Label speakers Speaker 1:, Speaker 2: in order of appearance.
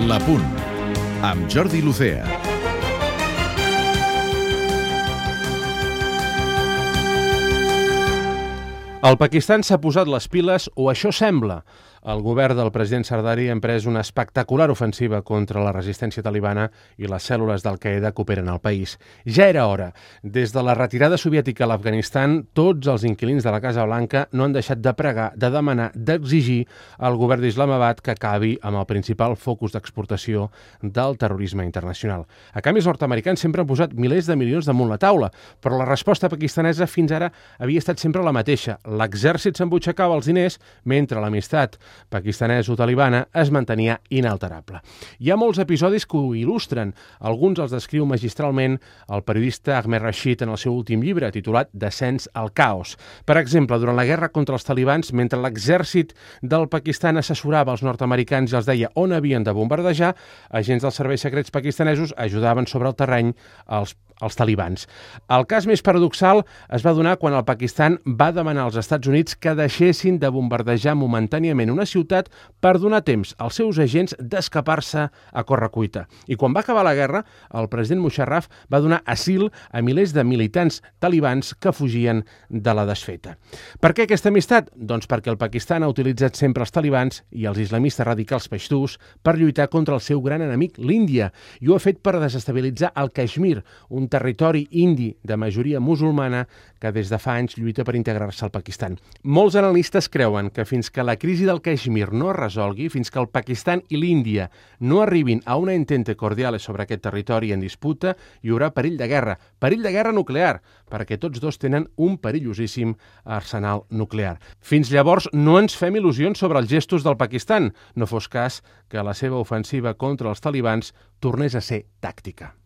Speaker 1: La Punt, amb Jordi Lucea.
Speaker 2: El Pakistan s'ha posat les piles, o això sembla. El govern del president Zardari ha emprès una espectacular ofensiva contra la resistència talibana i les cèl·lules d'Al-Qaeda que operen al país. Ja era hora. Des de la retirada soviètica a l'Afganistan, tots els inquilins de la Casa Blanca no han deixat de pregar, de demanar, d'exigir al govern d'Islamabad que acabi amb el principal focus d'exportació del terrorisme internacional. A canvi, els nord-americans sempre han posat milers de milions damunt la taula, però la resposta pakistanesa fins ara havia estat sempre la mateixa. L'exèrcit s'embutxacava els diners mentre l'amistat pakistaneso-talibana es mantenia inalterable. Hi ha molts episodis que ho il·lustren. Alguns els descriu magistralment el periodista Ahmed Rashid en el seu últim llibre, titulat Descens al caos. Per exemple, durant la guerra contra els talibans, mentre l'exèrcit del Pakistan assessorava els nord-americans i els deia on havien de bombardejar, agents dels serveis secrets pakistanesos ajudaven sobre el terreny els talibans. El cas més paradoxal es va donar quan el Pakistan va demanar als Estats Units que deixessin de bombardejar momentàniament una ciutat per donar temps als seus agents d'escapar-se a correcuita. I quan va acabar la guerra, el president Musharraf va donar asil a milers de militants talibans que fugien de la desfeta. Per què aquesta amistat? Doncs perquè el Pakistan ha utilitzat sempre els talibans i els islamistes radicals paixtús per lluitar contra el seu gran enemic, l'Índia, i ho ha fet per desestabilitzar el Caixmir, un territori indi de majoria musulmana que des de fa anys lluita per integrar-se al Pakistan. Molts analistes creuen que fins que la crisi del Caixmir no es resolgui, fins que el Pakistan i l'Índia no arribin a una entente cordial sobre aquest territori en disputa, hi haurà perill de guerra nuclear, perquè tots dos tenen un perillosíssim arsenal nuclear. Fins llavors no ens fem il·lusions sobre els gestos del Pakistan, no fos cas que la seva ofensiva contra els talibans tornés a ser tàctica.